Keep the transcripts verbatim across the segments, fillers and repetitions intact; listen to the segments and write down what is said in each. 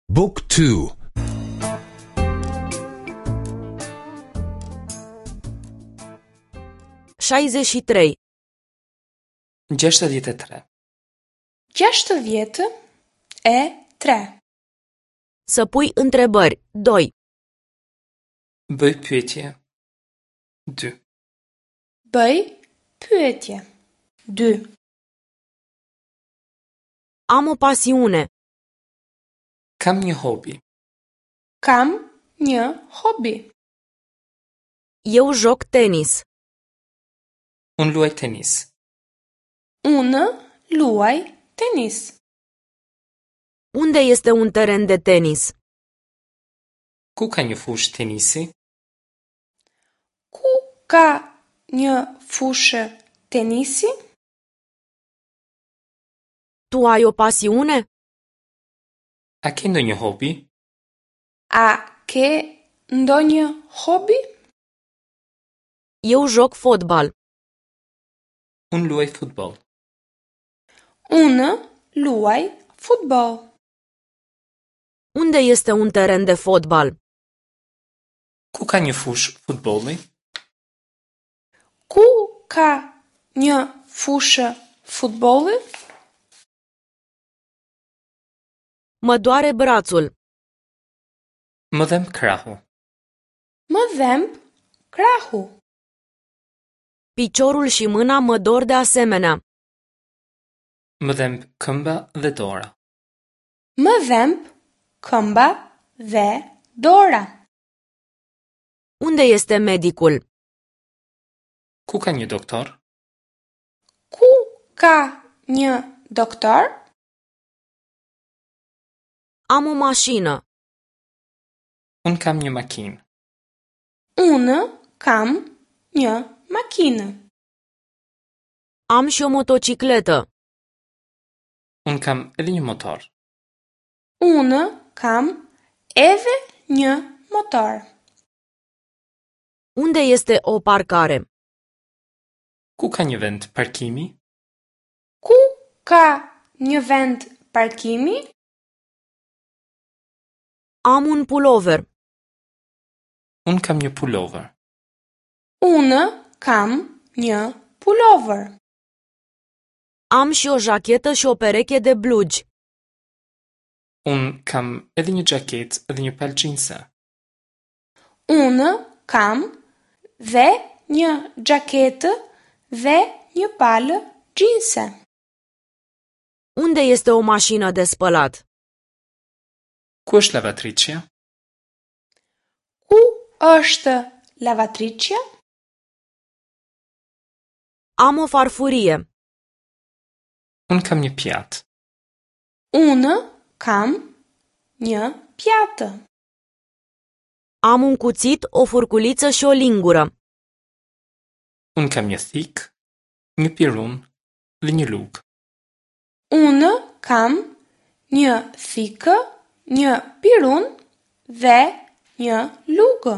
Book two. șaizeci și trei. Gjashtëdhjetë e tre. Gjashtëdhjetë e tre. Să pui întrebări. Doi. Bëj pyetje. Dy. Bëj pyetje. Dy. Am o pasiune. Kam një hobi. Kam një hobi. Eu joc tenis. Unë luaj tenis. Unë luaj tenis. Unde este un teren de tenis? Ku ka një fushë tenisi? Ku ka një fushë tenisi? Tu ai o pasiune? A ke ndonjë hobi? A ke ndonjë hobi? Eu joc fotbal. Unë luaj futboll. Unë luaj futboll. Unde este un teren de fotbal? Ku ka një fushë futbolli? Ku ka një fushë futbolli? Mă doare brațul. Më dhemb krahu. Më dhemb krahu. Piciorul și mâna mă dor de asemenea. Më dhemb këmba dhe dora. Më dhemb këmba dhe dora. Unde este medicul? Ku ka një doktor? Ku ka një doktor? Am o mașină. Unë kam një makinë. Unë kam një makinë. Am și o motocicletă. Unë kam edhe një motor. Unë kam edhe një motor. Unde este o parcare? Ku ka një vend parkimi? Ku ka një vend parkimi? Am un pulover. Unë kam një pulover. Unë kam një pulover. Am și o jachetă și o pereche de blugi. Unë kam edhe një xhaketë dhe një palë xhinse. Unë kam dhe një xhaketë dhe një palë xhinse. Unde este o mașină de spălat? Ku është lavatriçja? Ku është lavatriçja? Am o farfurie. Unë kam një pjatë. Unë kam një pjatë. Am un cuțit, o furculiță și o lingură. Unë kam një thikë, një pirun dhe një lugë. Unë kam një thikë, një pirun dhe një lugë.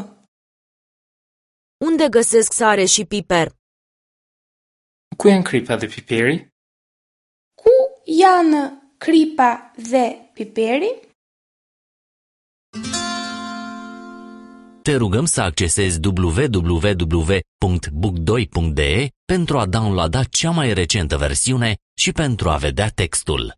Unde găsesc sare și piper? Ku janë kripa dhe piperi? Ku janë kripa dhe piperi? Te rugăm să accesezi w w w punct book doi punct d e pentru a downloada cea mai recentă versiune și pentru a vedea textul.